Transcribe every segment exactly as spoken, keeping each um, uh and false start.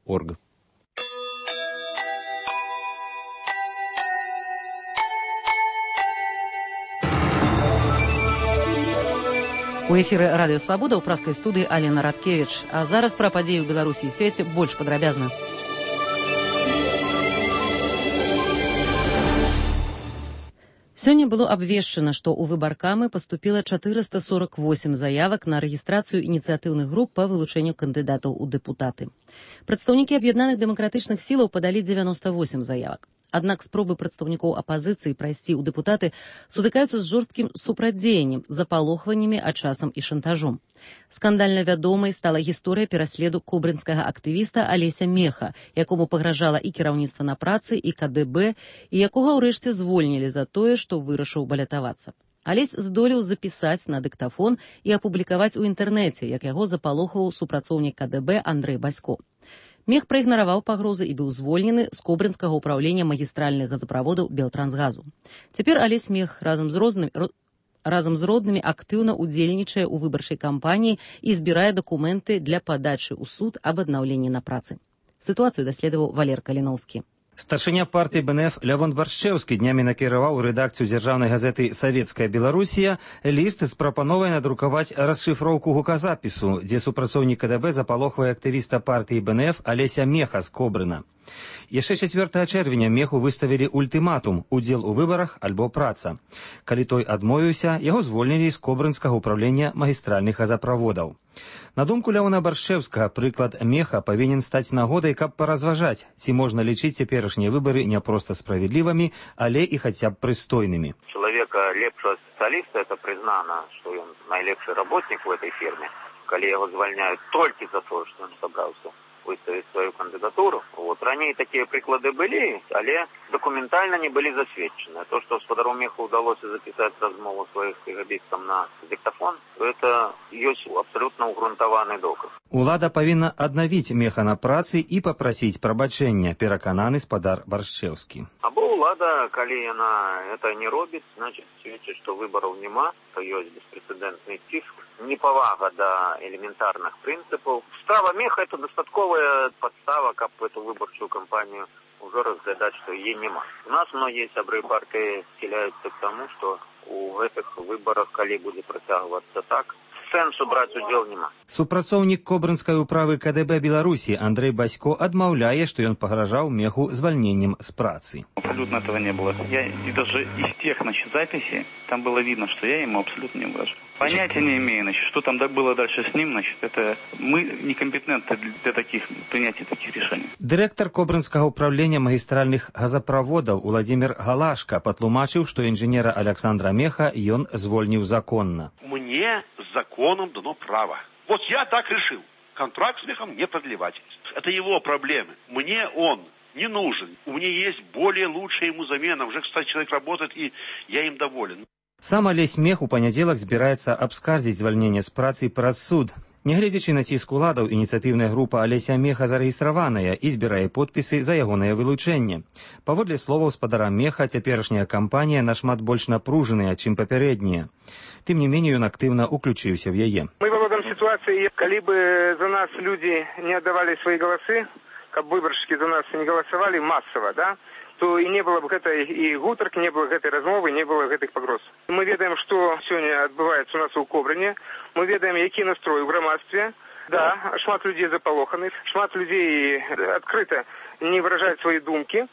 орг. У эфіры радыё Свабода ў праскай студыі Алена Радкевіч. А зараз пра падзеі ў Беларусі і свеце больш падрабязна. Сёння было абвешчана, што ў выбаркамы паступіла чатырыста сорок восем заявак на рэгістрацыю ініцыятыўных груп па вылучэнню кандыдатаў у дэпутаты. Прадстаўнікі аб'яднаных дэмакратычных сілаў падалі дзевяноста восем заявак. Аднак спробы прадстаўнікоў апазіцыі прайсці ў дэпутаты сутыкаюцца з жорсткім супрацьдзеяннем, запалохваннямі, а часам і шантажом. Скандальна вядомай стала гісторыя пераследу кобрынскага актывіста Алеся Меха, якому пагражала і кіраўніцтва на працы, і ка дэ бэ, і якога ўрэшце звольнілі за тое, што вырашыў балятавацца. Алесь здолеў запісаць на дыктафон і апублікаваць у інтэрнэце, як яго запалохваў супрацоўнік ка дэ бэ Андрэй Басько. Мех праігнараваў пагрозы і быў звольнены з кобрынскага ўпраўлення магістральных газаправодаў Белтрансгазу. Цяпер Алесь Мех разам з рознымі разам з роднымі актыўна ўдзельнічае ў выбарчай кампаніі і збірае дакументы для падачы ў суд аб аднаўленні на працы. Сітуацыю даследаваў Валер Каліноўскі. Старшыня партыі бэ эн эф Лявон Баршчэўскі днямі накіраваў у рэдакцыю дзяржаўнай газеты «Савецкая Беларусія» ліст з прапановай надрукаваць расшыфроўку гуказапісу, дзе супрацоўнік ка дэ бэ запалохвае актывіста партыі бэ эн эф Алеся Меха з Кобрына. Яшчэ чацвёртага чэрвеня Меху выставілі ультыматум «Удзел у выбарах альбо праца». Калі той адмовіўся, яго звольнілі з кобрынскага ўпраўлення магістральных газаправодаў. На думку Лявона Баршчэўскага, прыклад Меха павінен стаць нагодай, каб паразважаць, ці можна лічыць цяперашнія выбары не проста справедлівымі, але і хаця б прыстойнымі. Чалавека лепшага спецыяліста, это прызнана, што ён найлепшы работнік у этой фірме, калі яго звальняюць толькі за тое, што ён сабраўся выставіць сваю кандыдатуру. Вот. Раней такія прыклады былі, але дакументальна не былі засведчаны. То, што гаспадару Меху ўдалося запісаць размову сваіх кагабістам на диктофон, это ёсць абсалютна ўгрунтаваны доказ. Улада павінна аднавіць Меха на працы і папрасіць прабачэння, перакананы спадар Баршчэўскі. Або ўлада, калі яна это не робіць, значыць сведчыць, што выбараў няма, то ёсць беспрэцэдэнтны ціск, непавага да элементарных прынцыпаў. Справа Меха это дастатковая подстава, каб эту выбарчую кампанію ўжо разглядаць, што яе няма. У нас многія сябры партыі схіляюцца к таму, што у гэтых выбарах, калі будзе працягвацца так, сэнсу браць удзел няма. Супрацоўнік кобрынскай управы ка дэ бэ Беларусі Андрэй Басько адмаўляе, што ён пагражаў Меху звальненнем з працы. Абсолютно этого не было. Я и даже из тех, значит, записей, там было видно, что я ему абсолютно не угрожаю. Понятия не имею, значит, что там было дальше с ним, значит, это мы некомпетентны для таких, принятия таких решений. Дырэктар кобрынскага ўпраўлення магістральных газаправодаў Уладзімір Галашка патлумачыў, што інжынера Александра Меха ён звольніў законна. Мне законом дано право. Вот я так решил. Контракт с Мехом не продлевать. Это его проблемы. Мне он не нужен. У меня есть более лучшая ему замена. Уже, кстати, человек работает, и я им доволен. Сам Алесь Мех у панядзелак збіраецца абскардзіць звальненне з працы праз суд. Нягледзячы на ціск уладаў, ініцыятыўная група Алеся Меха зарэгістраваная і збірае подпісы за ягонае вылучэнне. Паводле словаў спадара Меха, цяперашняя кампанія нашмат больш напружаная, чым папярэдняя. Тым не меней, ён актыўна уключыўся в яе. Мы володаем ситуации, калі бы за нас люди не отдавали свои голосы, каб выборщики за нас не голосовали массово, да, то и не было бы гэтай и гутарки, не было гэтай размовы, не было гэтых пагроз. Мы ведаем, что сегодня адбываецца у нас у Кобрыне, мы ведаем, які настрой у грамадстве. Да, шмат людей запалоханы, шмат людей открыто не выражаюць свае думкі,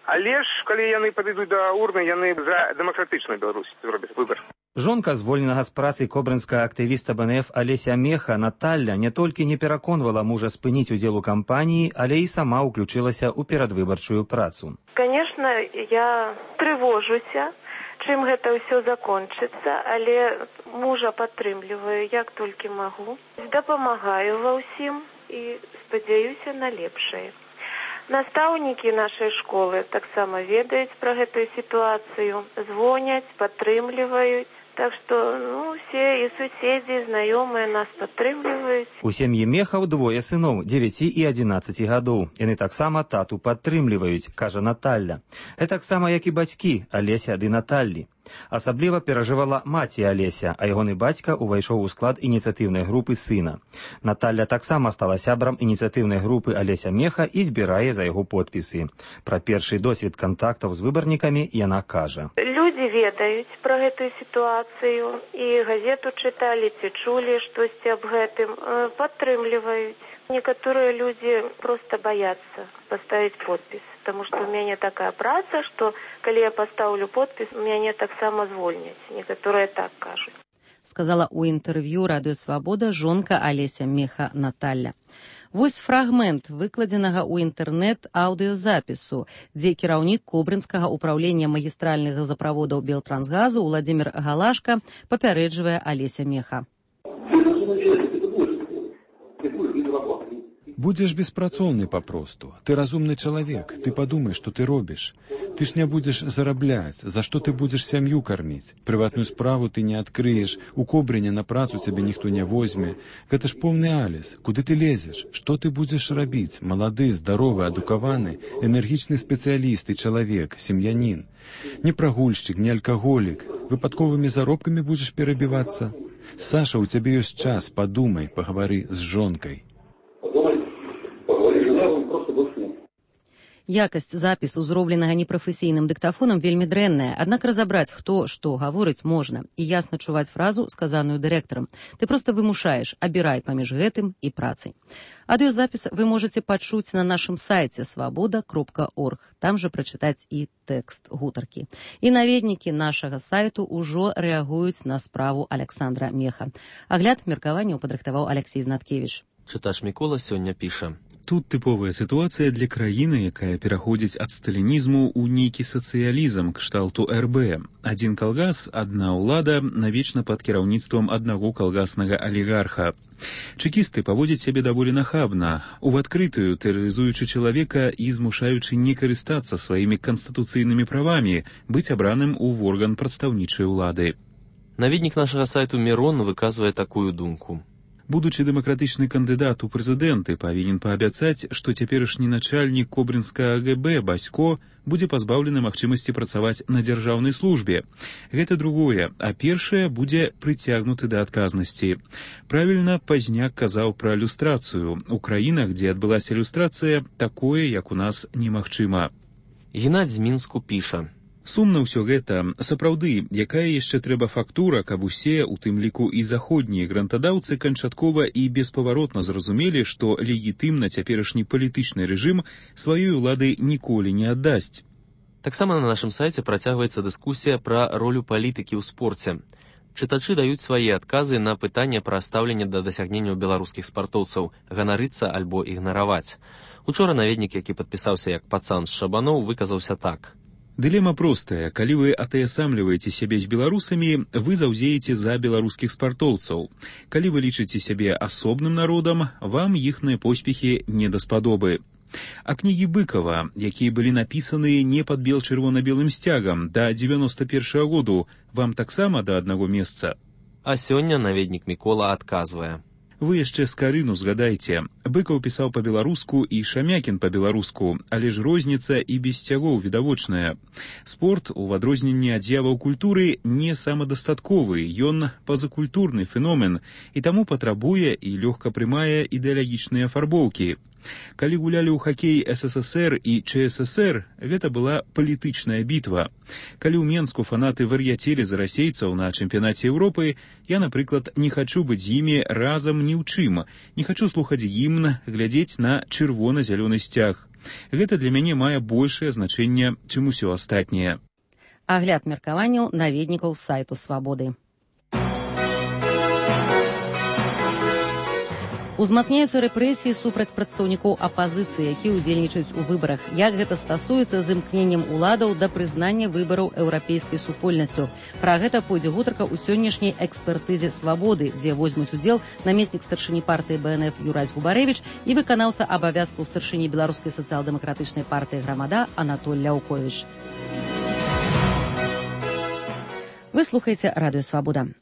але ж, калі яны падыдуць да урны, яны за дэмакратычную Беларусь зробяць выбар. Жонка звольненага з працы кобрынскага актывіста бэ эн эф Алеся Меха Наталля не толькі не пераконвала мужа спыніць удзел у кампаніі, але і сама ўключылася ў перадвыбарчую працу. Конечно, я трывожуся, чым гэта ўсё закончыцца, але мужа падтрымліваю, як толькі магу. Дапамагаю ва ўсім і спадзяюся на лепшае. Настаўнікі нашай школы таксама ведаюць пра гэтую сітуацыю, звоняць, падтрымліваюць. Так што, ну, все і суседзі, і знаёмыя нас падтрымліваюць. У сям'і Мехаў двое сыноў, дзевяці і адзінаццаці гадоў. Яны таксама тату падтрымліваюць, кажа Наталля. Гэтаксама, як і бацькі, Алеся ды Наталлі. Асабліва перажывала маці Алеся, а ягоны бацька ўвайшоў у склад ініцыятыўнай групы сына. Наталья таксама стала сябрам ініцыятыўнай групы Алеся Меха і збірае за яго подпісы. Пра першы досвед кантактаў з выбарнікамі яна кажа. Людзі ведаюць пра гэтую сітуацыю і газету чыталі ці чулі штосьці аб гэтым, падтрымліваюць. Некоторые люди просто боятся поставить подпись, потому что у меня такая праца, что, когда я поставлю подпись, меня так само звольнять. Некоторые так кажут. Сказала у інтэрв'ю Радыё Свабода жонка Алеся Меха Наталья. Вось фрагмент выкладзенага ў інтэрнэт аўдыёзапісу, дзе кіраўнік Кобрынскага ўпраўлення магістральных газаправодаў Белтрансгазу Владзімір Галашка папярэджвае Алеся Меха. Будзеш беспрацоўны папросту. Ты разумны чалавек, ты падумай, што ты робіш. Ты ж не будзеш зарабляць, за што ты будзеш сям'ю карміць. Прыватную справу ты не адкрыеш, у Кобрыне на працу цябе ніхто не возьме. Гэта ж поўны алес. Куды ты лезеш? Што ты будзеш рабіць? Малады, здаровы, адукаваны, энергічны спецыяліст і чалавек, сем'янін. Не прагульшчык, не алкаголік. Выпадковымі заробкамі будзеш перабівацца? Саша, у цябе ёсць час, падумай, пагавары з жонкай. Якасць запісу, зробленага непрафесійным дыктафонам, вельмі дрэнная, аднак разабраць, хто што гаворыць, можна, і ясна чуваць фразу, сказаную дырэктарам. Ты проста вымушаеш, абірай паміж гэтым і працай. Аўдыёзапіс вы можаце пачуць на нашым сайце свабода кропка орг, там жа прачытаць і тэкст гутаркі. І наведнікі нашага сайту ўжо рэагуюць на справу Александра Меха. Агляд меркаванняў падрыхтаваў Алексей Знаткевіч. Чытач Мікола сёння піша. Тут тыповая сітуацыя для краіны, якая пераходзіць ад сталінізму ў нейкі сацыялізм кшталту эр бэ. Адзін калгас, адна ўлада, навечна пад кіраўніцтвам аднаго калгаснага алігарха. Чэкісты паводзяць сябе даволі нахабна, у адкрытую тэрарызуючы чалавека і змушаючы не карыстацца сваімі канстытуцыйнымі правамі, быць абраным у орган прадстаўнічай улады. Наведнік нашага сайту Мірон выказвае такую думку. Будучы дэмакратычны кандыдат у прэзідэнты павінен паабяцаць, што цяперашні начальнік Кобрынскага гэ бэ Басько будзе пазбаўлены магчымасці працаваць на дзяржаўнай службе. Гэта другое, а першае будзе прыцягнуты да адказнасці. Правільна Пазняк казаў пра люстрацыю. У краінах, дзе адбылася люстрацыя, такое, як у нас, немагчыма. Геннадзь з Мінску піша. Сумна ўсё гэта. Сапраўды, якая яшчэ трэба фактура, каб усе, у тым ліку і заходнія грантадаўцы, канчаткова і беспаваротна зразумелі, што легітымна цяперашні палітычны рэжым сваёй улады ніколі не аддасць. Таксама на нашым сайце працягваецца дыскусія пра ролю палітыкі ў спорце. Чытачы даюць свае адказы на пытанне пра стаўленне да дасягненняў беларускіх спартоўцаў, ганарыцца альбо ігнараваць. Учора наведнік, які падпісаўся як пацан з Шабаноў, выказаўся так. Дылема простая. Калі вы атаясамліваеце сябе з беларусамі, вы заўзееце за беларускіх спартоўцаў. Калі вы лічыце сябе асобным народам, вам іхныя поспехі не даспадобы. А кнігі Быкова, якія былі напісаны не пад бел-чырвона-белым сцягам да дзевяноста першага году, вам таксама да аднаго месца? А сёння наведнік Мікола адказвае. Вы яшчэ Скарыну згадайце. Быкаў пісаў па-беларуску і Шамякін па-беларуску, але ж розніца і без сцягоў відавочная. Спорт, у адрозненне ад з'яваў культуры, не самадастатковы, ён пазакультурны феномен, і таму патрабуе і лёгка прымае ідэалагічныя афарбоўкі. Калі гулялі ў хакей эс эс эс эр і чэ эс эс эр, гэта была палітычная бітва. Калі ў Менску фанаты вар'яцелі за расейцаў на чэмпіянаце Еўропы, я, напрыклад, не хачу быць з імі разам ні ў чым. Не хачу слухаць гімн, глядзець на чырвона-зялёны сцяг. Гэта для мяне мае большае значэнне, чым усё астатняе. Агляд меркаванняў наведнікаў сайту Свабоды. Узмацняюцца рэпрэсіі супраць прадстаўнікоў апазіцыі, якія ўдзельнічаюць у выбарах. Як гэта стасуецца з імкненнем уладаў да прызнання выбараў еўрапейскай супольнасцю. Пра гэта пойдзе гутарка ў сённяшняй экспертызе Свабоды, дзе возьмуць удзел намеснік старшыні партыі бэ эн эф Юрась Губарэвіч і выканаўца абавязкаў старшыні беларускай сацыял-дэмакратычнай партыі Грамада Анатоль Ляўковіч. Вы слухаеце Радыё Свабода.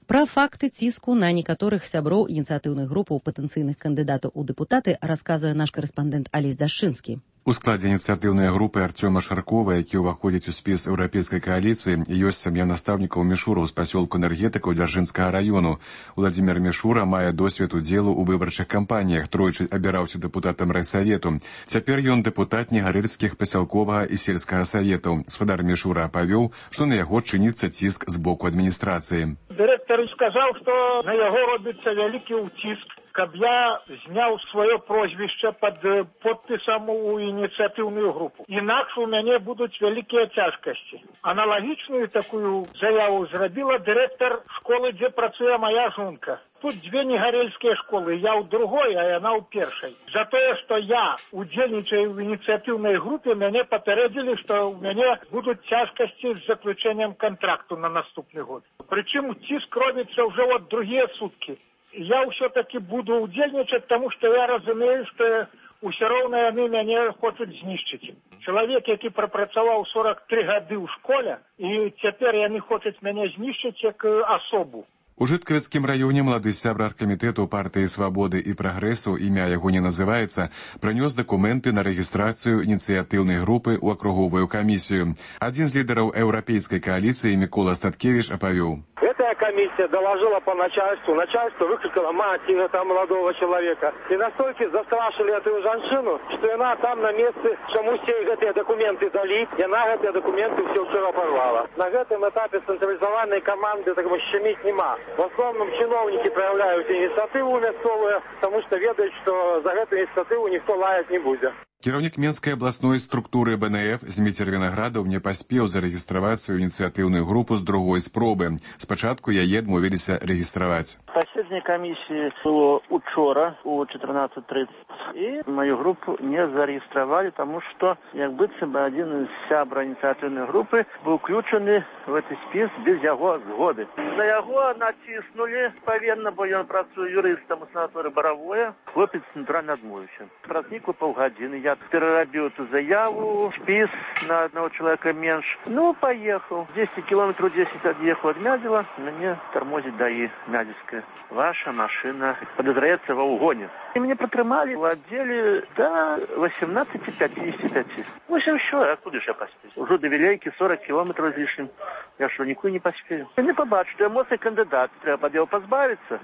Пра факты ціску на некаторых сяброў ініцыятыўных групаў патэнцыйных кандыдатаў у дэпутаты расказвае наш карэспандэнт Алесь Дашчынскі. У складзе ініцыятыўнай групы Артёма Шаркова, які ўваходзіць у спіс еўрапейскай кааліцыі, ёсць сям'я настаўнікаў Мішураў з пасёлку энергетыкаў Дзяржынскага раёну. Уладзімір Мішура мае досвед удзелу ў выбарчых кампаніях, тройчы абіраўся дэпутатам райсавету. Цяпер ён дэпутат негарэльскіх пасялковага і сельскага саветаў. Спадар Мішура апавёў, што на яго чыніцца ціск з боку адміністрацыі. Дырэктар сказаў, што на яго робіцца вялікі ўціск, каб я зняў сваё прозвішча пад подпісам у ініцыятыўную групу. Інакш у мяне будуць вялікія цяжкасці. Аналагічную такую заяву зрабіла дырэктар школы, дзе працуе мая жонка. Тут дзве негарэльскія школы, я ў другой, а яна ў першай. За тое, што я удзельнічаю ў ініцыятыўнай групе, мяне папярэдзілі, што ў мяне будуць цяжкасці з заключэннем кантракту на наступны год. Прычым ціск робіцца ўжо от другія суткі. Я ўсё-таки буду удзельнічаць, таму што я разумею, што ўсё роўна яны мяне хочуць знішчыць. Чалавек, які прапрацаваў сорок тры гады ў школе, і цяпер яны хочуць мяне знішчыць як асобу. У Жыткавіцкім раёне малады сябра аргкамітэту партыі «Свабоды» і «Прагрэсу», імя яго не называецца, прынёс дакументы на рэгістрацыю ініцыятыўнай групы ў акруговую камісію. Адзін з лідараў еўрапейскай кааліцыі Мікола Статкевіч апавёў. Эта комиссия доложила по начальству. Начальство выкликало мать этого молодого человека. И настолько застрашили эту женщину, что она там на месте, чему все эти документы дали, и она эти документы все вчера порвала. На этом этапе централизованной команды так щемить нема. В основном чиновники проявляют инициативу мясцовую, потому что ведают, что за эту инициативу никто лаять не будет. Кіраўнік Менскай абласной структуры бэ эн эф Зміцер Вінаградаў не паспеў зарэгістраваць сваю ініцыятыўную групу з другой спробы. Спачатку яе адмовіліся рэгістраваць. Паседжанне камісіі было учора у чатырнаццаць тридцать, і мою групу не зарэгістравалі, таму што як быццам бы адзін з сябра ініцыятыўнай групы быў уключаны в гэты спіс без яго згоды. На яго націснулі павінна, бо ён працуе юрыстам у санаторыі Баравое. Хлопец натуральна адмовіўся. Праз нейкую паўгадзіны я перерабил эту заяву, спис на одного человека меньше. Ну, поехал. десять километров десять отъехал от Мядзела. Мне тормозит ДАИ Мядзельская. Ваша машина подозревается во угоне. И меня протрымали в отделе до восемнадцати пятидесяти пяти. В общем, что, откуда же я поспею? Уже до Вилейки сорок километров излишним. Я что, никуда не поспею? Я не побачу, что я моцный кандидат. Треба от него позбавиться.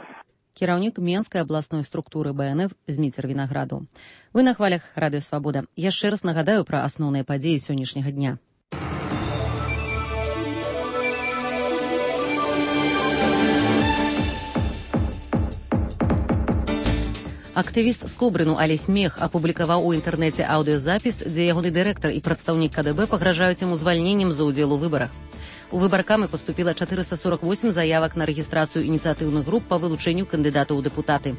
Кіраўнік Менскай абласной структуры бэ эн эф Зміцер Вінаградаў. Вы на хвалях радыё «Свабода». Яшчэ раз нагадаю пра асноўныя падзеі сённяшняга дня. Актывіст з Кобрыну Алесь Мех апублікаваў у інтэрнэце аўдыёзапіс, дзе ягоны дырэктар і прадстаўнік ка дэ бэ пагражаюць яму звальненнем за ўдзел у выбарах. У выбаркамы поступила четыреста сорок восемь заявак на рэгістрацыю ініцыятыўных груп па вылучэнню кандыдатаў у дэпутаты.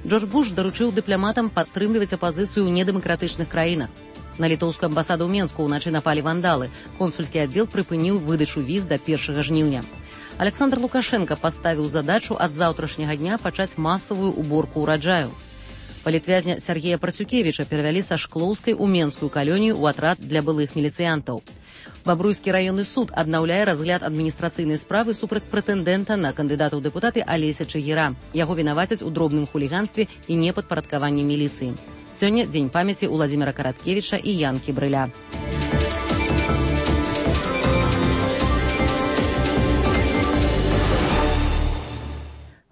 Джордж Буш даручыў дыпламатам падтрымліваць апазіцыю ў недэмакратычных краінах. На літоўскую амбасаду ў Менску ўначы напалі вандалы. Консульскі аддзел прыпыніў выдачу віз да першага жніўня. Александр Лукашенко паставіў задачу ад заўтрашняга дня пачаць масавую уборку ўраджаю. Палітвязня Сергея Прасюкевіча перавялі са Шклоўскай у Менскую калонію ў атрад для былых міліцыянтаў. Бабруйскі раённы суд аднаўляе разгляд адміністрацыйнай справы супраць прэтэндэнта на кандыдата ў дэпутаты Алеся Чагіра. Яго вінавацяць у дробным хуліганстве і непадпарадкаванні міліцыі. Сёння дзень памяці Уладзіміра Караткевіча і Янкі Брыля.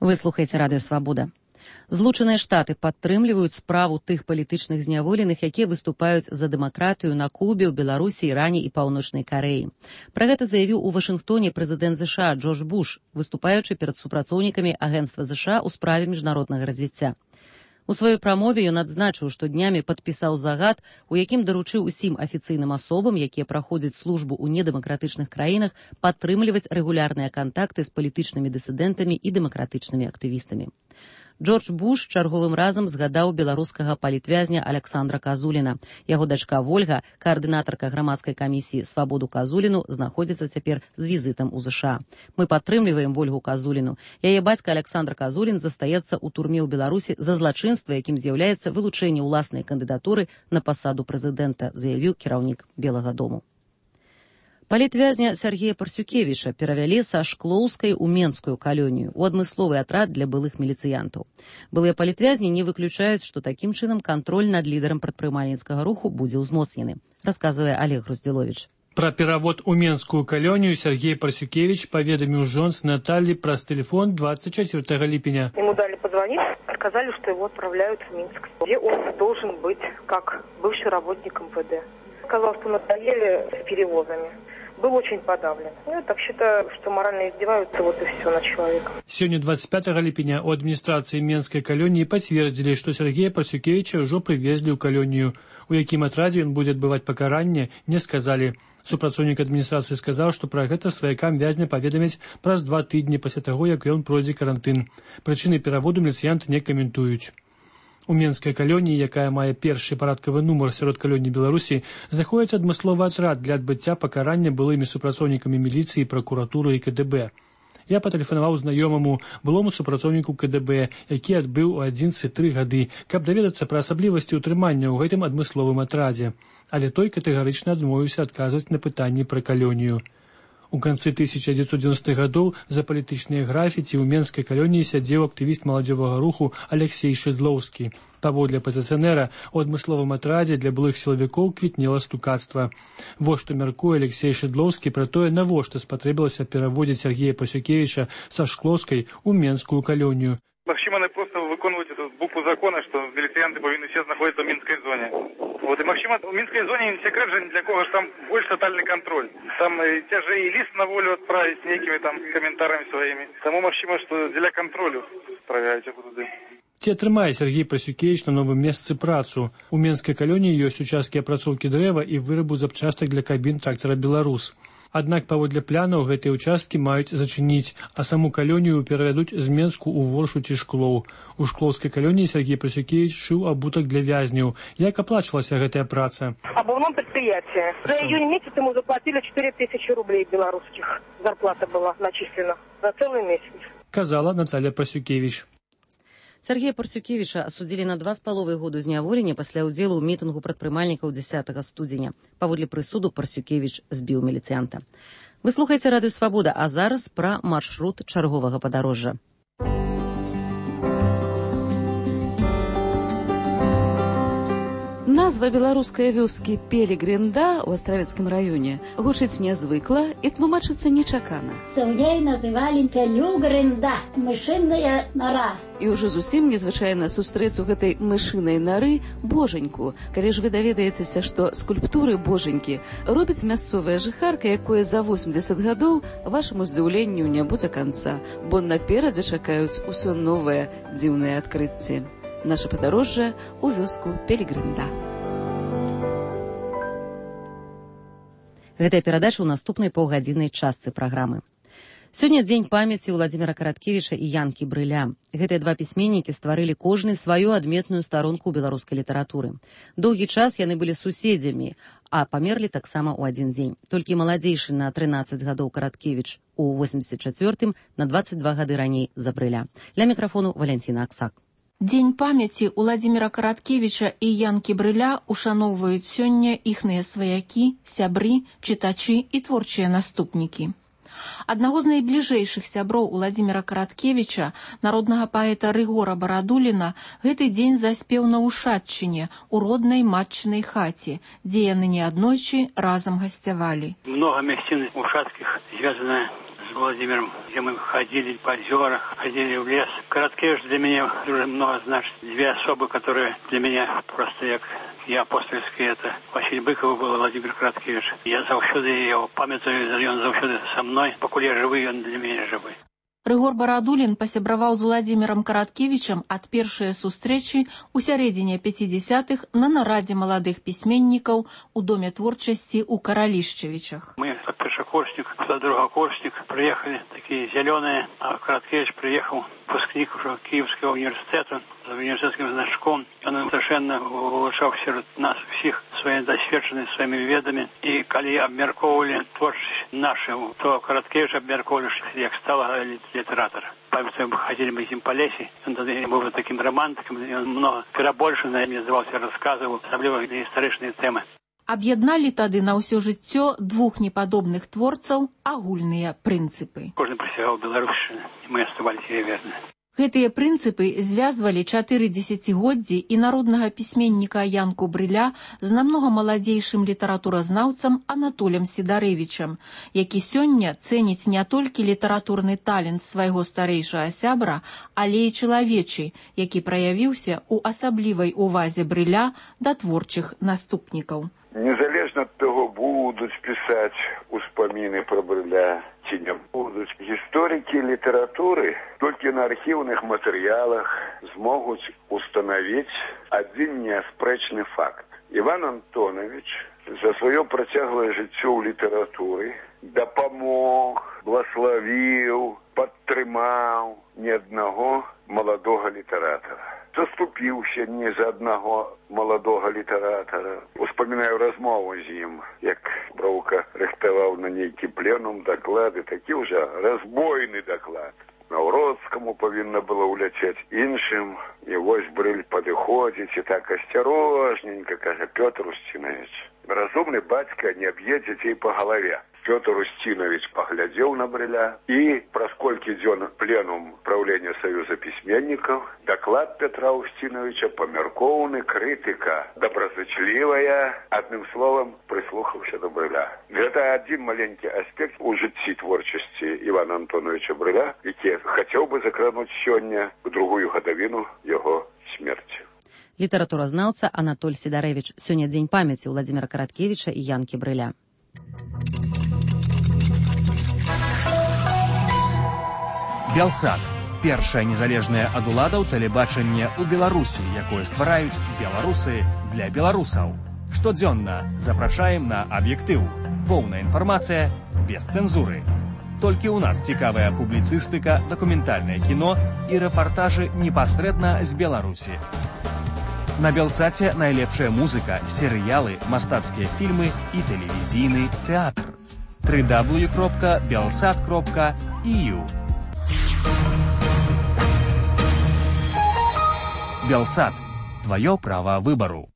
Вы слухаеце радыё «Свабода». Злучаныя Штаты падтрымліваюць справу тых палітычных зняволеных, якія выступаюць за дэмакратыю на Кубе, ў Беларусі, Іране і Паўночнай Карэі. Пра гэта заявіў у Вашынгтоне прэзідэнт ЗША Джордж Буш, выступаючы перад супрацоўнікамі Агенцтва ЗША ў справе міжнароднага развіцця. У сваёй прамове ён адзначыў, што днямі падпісаў загад, у якім даручыў усім афіцыйным асобам, якія праходзяць службу ў недэмакратычных краінах, падтрымліваць рэгулярныя кантакты з палітычнымі дысідэнтамі і дэмакратычнымі актывістамі. Джордж Буш чарговым разам згадаў беларускага палітвязня Александра Казуліна. Яго дачка Вольга, каардынатарка грамадскай камісіі «Свабоду Казуліну», знаходзіцца цяпер з візітам у ЗША. Мы падтрымліваем Вольгу Казуліну. Яе бацька Александр Казулін застаецца ў турме ў Беларусі за злачынства, якім з'яўляецца вылучэнне ўласнай кандыдатуры на пасаду прэзідэнта, заявіў кіраўнік Белага дому. Палітвязня Сергея Парсюкевіча перавялі са Шклоўскай у Менскую калонію, у адмысловы атрад для былых міліцыянтаў. Былыя палітвязні не выключаюць, што такім чынам кантроль над лідарам прадпрымальніцкага руху будзе ўзмоцнены, расказвае Олег Груздзіловіч. Пра перавод у Менскую калонію Сергей Парсюкевич паведаміў жонц Натальи праз тэлефон двадцать четвёртого липеня. Ему дали позвонить, сказали, что его отправляют в Минск, где он должен быть как бывший работник эм вэ дэ. Сказал, что надоели с перевозами. Был очень подавлен. Ну, я так считаю, что морально издеваются, вот и все, над человеком. Сегодня двадцать пятого липеня у администрации Менской колонии подтвердили, что Сергея Парсюкевича уже привезли в колонию. У якім атрадзе он будет отбывать покаранне, не сказали. Супрацоўнік адміністрацыі сказаў, што пра гэта сваякам вязня паведамяць праз два тыдні пасля таго, як ён пройдзе карантын. Прычыны пераводу міліцыянты не каментуюць. У Менскай калоніі, якая мае першы парадкавы нумар сярод калоній Беларусі, знаходзіцца адмысловы атрад для адбыцця пакарання былымі супрацоўнікамі міліцыі, пракуратуры і ка дэ бэ. Я патэлефанаваў знаёмаму, былому супрацоўніку ка дэ бэ, які адбыў у адзінаццаць тры гады, каб даведацца пра асаблівасці ўтрымання ў гэтым адмысловым атрадзе. Але той катэгарычна адмовіўся адказваць на пытанні пра калонію. У канцы тысяча дзевяцьсот дзевяностых гадоў за палітычныя графіці ў Менскай калоніі сядзеў актывіст маладзёвага руху Алексей Шыдлоўскі. Паводле апазіцыянера, у адмысловым атрадзе для былых сілавікоў квітнела стукацтва. Вось што мяркуе Алексей Шыдлоўскі пра тое, навошта спатрэбілася пераводзіць Сергея Парсюкевича са Шклоўскай у Менскую калонію. Максим, они просто выконывают эту букву закона, что милицианты повинны все находиться в Минской зоне. Вот, и Максим, в Минской зоне не секрет же для кого, что там больше тотальный контроль. Там и те же и лист на волю отправить с некими там комментариями своими. Тому, Максим, что для контроля отправляют туда. Ці атрымае Сергей Парсюкевич на новым месцы працу. У Менскай калоніі ёсць участкі апрацоўкі дрэва і вырабу запчастак для кабін трактара «Беларус». Аднак паводле планаў гэтыя участкі маюць зачыніць, а саму калонію перавядуць з Менску ў Воршу ці Шклоў. У Шклоўскай калоніі Сергей Парсюкевич шыў абутак для вязняў. Як аплачвалася гэтая праца? Обувном предприятии. За июнь месяц ему заплатили четыре тысячи рублей белорусских. Зарплата была начислена за целый месяц. Казала Наталья Парсюкевич. Сергея Парсюкевича асудзілі на два з паловай году зняволення пасля ўдзелу ў мітынгу прадпрымальнікаў дзесятага студзеня. Паводле прысуду Парсюкевич збіў міліцыянта. Вы слухаеце радыё Свабода, а зараз пра маршрут чарговага падарожжа. Назва беларускай вёскі Пелегринда ў Астравецкім раёне гучыць нязвыкла і тлумачыцца нечакана. Яе называлі Пелегринда, мышыная нара. І ўжо зусім незвычайна сустрэць у гэтай мышынай нары божаньку. Калі ж вы даведаецеся, што скульптуры божанькі робіць мясцовая жыхарка, якое за восемьдесят гадоў, вашаму здзіўленню не будзе канца, бо наперадзе чакаюць усё новае дзіўнае адкрыцці. Наша падарожжа ў вёску Пелегринда. Гэтая перадача ў наступнай паўгадзіннай частцы праграмы. Сёння дзень памяці Уладзіміра Караткевіча і Янкі Брыля. Гэтыя два пісьменнікі стварылі кожны сваю адметную старонку ў беларускай літаратуры. Доўгі час яны былі суседзямі, а памерлі таксама ў адзін дзень. Толькі маладзейшы на трынаццаць гадоў Караткевіч у восемьдесят четвёртым на двадцать два гады раней за Брыля. Для мікрафону Валянціна Аксак. Дзень памяці Уладзіміра Караткевіча і Янкі Брыля ушаноўваюць сёння іхныя сваякі, сябры, чытачы і творчыя наступнікі. Аднаго з найбліжэйшых сяброў Уладзіміра Караткевіча, народнага паэта Рыгора Барадуліна, гэты дзень заспеў на Ушатчыне, у роднай матчынай хаце, дзе яны неаднойчы разам гасцявалі. Много мясцін ушацкіх звязана с Владимиром, где мы ходили по озерах, ходили в лес. Караткевич для меня уже много значит. Две особы, которые для меня просто як я апостольский, это Василий Быков был, Владимир Караткевич. Я заўсёды его памятаю, он заўсёды со мной. Покуль я живы, он для меня живы. Рыгор Барадулін пасябраваў з Уладзімірам Караткевічам ад першай сустрэчы ў сярэдзіне пяцідзясятых на нарадзе маладых пісьменнікаў у Доме творчасці ў Каралішчавічах. Мы, как першакурсник, другокурсник, приехали такие зеленые, а Караткевич приехал, выпускник уже Киевского университета, с университетским значком. Он совершенно улучшал среди нас всех своей досведченностью, своими ведами. И когда обмерковывали творчество наше, то Караткевич обмерковывали, как стал литератор. Памятаю, мы ходили мы с ним по лесе, он был таким романтиком, и он много перебольшенно мне назывался, рассказывал, особливо историчные темы. Аб'ядналі тады на ўсё жыццё двух непадобных творцаў агульныя прынцыпы. Кожны прысягаў Беларусі, і мы аставаліся яе верныя. Гэтыя прынцыпы звязвалі чатыры дзесяцігоддзі і народнага пісьменніка Янку Брыля з намнога маладзейшым літаратуразнаўцам Анатолем Сідарэвічам, які сёння цэніць не толькі літаратурны талент свайго старэйшага сябра, але і чалавечы, які праявіўся ў асаблівай увазе Брыля да творчых наступнікаў. Незалежна ад таго, будуць пісаць успаміны пра Брыля ці не будуць, гісторыкі літаратуры толькі на архіўных матэрыялах змогуць устанавіць адзін неаспрэчны факт. Іван Антонович за сваё працяглае жыццё ў літаратуры дапамог, блаславіў, падтрымаў не аднаго маладога літаратара. Заступіўся не за аднаго маладога літаратара. Успамінаю размову з ім, як Броўка рыхтаваў на нейкі пленум даклады, такі ўжо разбойны даклад. Наўродскаму павінна было ўляцець іншым, і вось Брыль падыходзіць і так асцярожненька кажа: Пётр Устинович, разумны бацька не б'е дзяцей па галаве. Пётр Устинович паглядзеў на Брыля, і праз колькі дзён пленум правлення Саюза пісьменнікаў, даклад Петра Устиновича памяркоўны, крытыка добразычлівая, адным словам, прыслухаўся да Брыля. Гэта адзін маленькі аспект у жыцці творчасці Івана Антоновича Брыля, які хацеў бы закрануць сёння у другую гадавіну яго смерці. Літаратуразнаўца Анатоль Сідарэвіч. Сёння дзень памяці Уладзіміра Караткевіча і Янкі Брыля. Белсат. Першае незалежнае ад уладаў тэлебачанне ў Беларусі, якое ствараюць беларусы для беларусаў. Штодзённа запрашаем на аб'ектыў. Поўная інфармацыя без цэнзуры. Толькі ў нас цікавая публіцыстыка, дакументальнае кіно і рэпартажы непасрэдна з Беларусі. На Белсаце найлепшая музыка, серыялы, мастацкія фільмы і тэлевізійны тэатр. дабл ю дабл ю дабл ю кропка белсат кропка і ю. Белсат. Твое право выбору.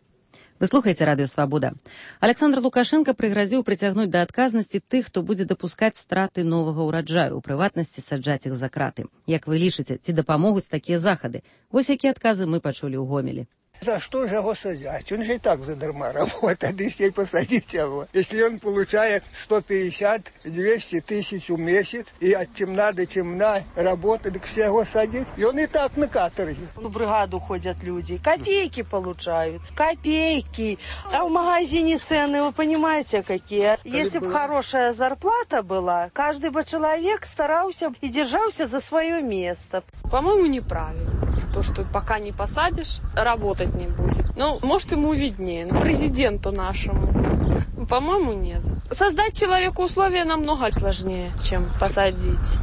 Вы слухаеце радыё Свабода. Александр Лукашенко прыгразіў прыцягнуць да адказнасці тых, хто будзе дапускаць страты новага ўраджаю, у прыватнасці саджаць іх за краты. Як вы лічыце, ці дапамогуць такія захады? Вось якія адказы мы пачулі ў Гомелі. За что же его сажать? Он же и так задарма работает, и все посадить его. Если он получает сто пятьдесят - двести тысяч в месяц, и от темна до темна работает, так все его садить, и он и так на каторге. В бригаду ходят люди, копейки получают, копейки. А в магазине цены, вы понимаете, какие? Если бы хорошая зарплата была, каждый бы человек старался и держался за свое место. По-моему, неправильно. То, что пока не посадишь, работать не будет. Ну, может, ему виднее. Президенту нашему. По-моему, нет. Создать человеку условия намного сложнее, чем посадить.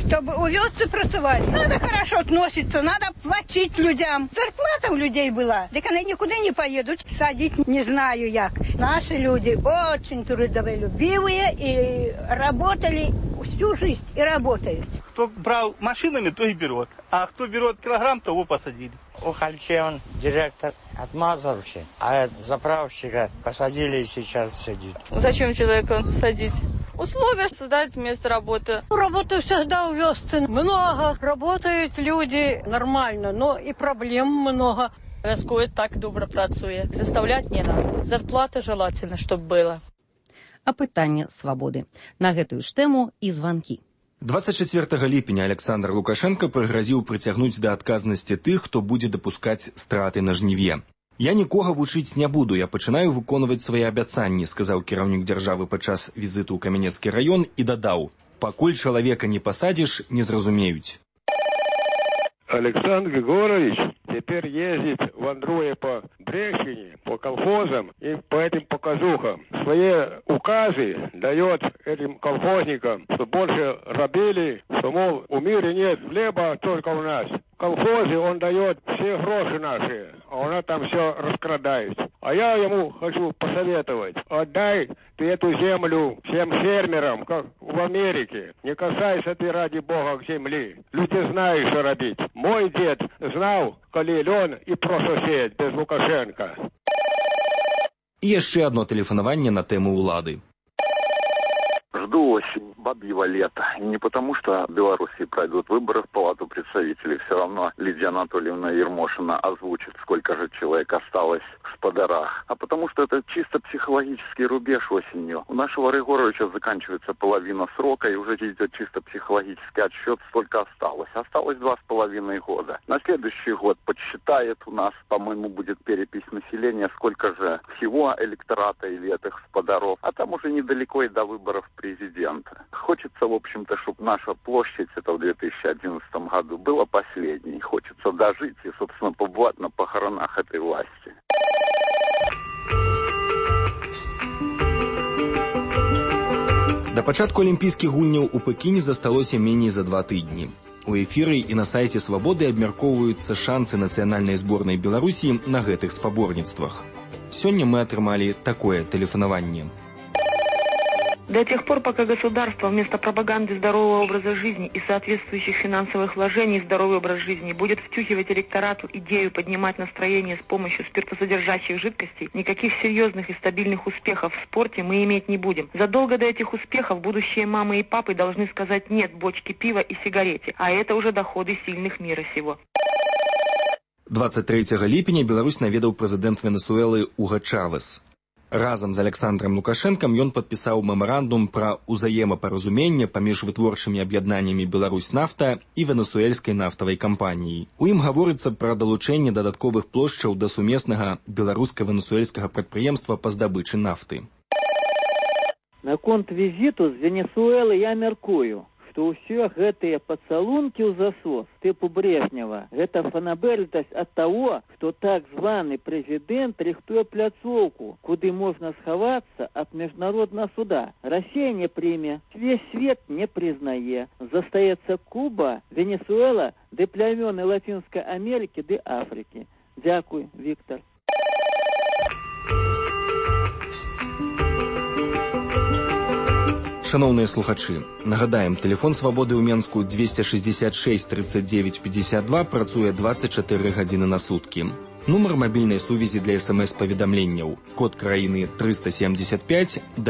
Чтобы у вёсцы працевать, надо хорошо относиться, надо платить людям. Зарплата у людей была, так они никуда не поедут. Садить не знаю як. Наши люди очень трудолюбивые и работали всю жизнь и работают. Кто брал машинами, то и берет. А кто берет килограмм, того посадили. У Хальче он директор отмазался, а заправщика посадили и сейчас сидит. Зачем человека садить? Условия создать место работы. Работы всегда у вёсцы много. Работают люди нормально, но и проблем много. Вяскует так добро працуе. Заставлять не надо. Зарплата желательно, чтобы было. А пытанне свабоды. На гэтую ж тэму і званкі. двадцать четвёртага ліпеня Александр Лукашенко прыгразіў прыцягнуць да адказнасці тых, хто будзе дапускаць страты на жніве. «Я нікога вучыць не буду, я пачынаю выконваць свае абяцанні», сказаў кіраўнік дзяржавы падчас візіту ў Камянецкі раён і дадаў: «Пакуль чалавека не пасадзіш, не зразумеюць». Александр Григорьевич теперь ездит, вандруя по Брещине, по колхозам и по этим показухам. Свои указы дает этим колхозникам, что больше рабили, что, мол, в мире нет хлеба, только у нас. В колхозе он дает все гроши наши, а она там все раскрадает. А я ему хочу посоветовать: отдай ты эту землю всем фермерам, как в Америке. Не касайся ты, ради бога, к земли. Люди знают, что робить. Мой дед знал, коли лен и прососед без Лукашенко. І яшчэ одно тэлефанаванне на тэму ўлады. Жду осень, бабьего лета. И не потому, что в Беларуси пройдут выборы в Палату представителей. Все равно Лидия Анатольевна Ермошина озвучит, сколько же человек осталось в Сподарах. А потому что это чисто психологический рубеж осенью. У нашего Рыгоровича заканчивается половина срока, и уже идет чисто психологический отсчет, сколько осталось. Осталось два с половиной года. На следующий год подсчитает у нас, по-моему, будет перепись населения, сколько же всего электората или этих Сподаров. А там уже недалеко и до выборов президента. Хочется, в общем-то, чтобы наша площадь, это в две тысячи одиннадцатом году, была последней. Хочется дожить и, собственно, побывать на похоронах этой власти. Да пачатку алімпійскіх гульняў у Пекіне засталося меней за два тыдні. У эфіры і на сайце «Свабоды» абмяркоўваюцца шансы нацыянальнай зборнай Беларусі на гэтых спаборніцтвах. Сёння мы атрымалі такое тэлефанаванне. До тех пор, пока государство вместо пропаганды здорового образа жизни и соответствующих финансовых вложений в здоровый образ жизни будет втюхивать электорату идею поднимать настроение с помощью спиртосодержащих жидкостей, никаких серьезных и стабильных успехов в спорте мы иметь не будем. Задолго до этих успехов будущие мамы и папы должны сказать «нет» бочке пива и сигарете, а это уже доходы сильных мира сего. двадцать трэцяга ліпеня Беларусь наведаў прэзідэнт Венесуэлы Уга Чавес. Разам з Александром Лукашэнкам ён падпісаў мемарандум пра ўзаемапаразуменне паміж вытворчымі аб'яднаннямі «Беларусь-нафта» і венесуэльскай нафтавай кампаніяй. У ім гаворыцца пра далучэнне дадатковых плошчаў да сумеснага беларуска-венесуэльскага прадпрыемства па здабычы нафты. Наконт візіту з Венесуэлы я мяркую, што ўсё гэтыя пацалункі ў засос тыпу Брежнева – гэта фанабэрнасць ад таго, што так званы прэзідэнт рыхтуе пляцоўку, куды можна схавацца ад міжнароднага суда. Расія не прыме, весь свет не прызнае. Застаецца Куба, Венесуэла, ды плямёны Лацінскай Амерыкі ды Афрыкі. Дзякуй, Віктор. Шановныя слухачы, нагадаем, тэлефон «Свабоды» ў Менску двести шестьдесят шесть тридцать девять пятьдесят два працуе двадцать чатыры гадзіны на суткі. Нумар мабільнай сувязі для эс эм эс-паведамленняў. Код краіны триста семьдесят пять.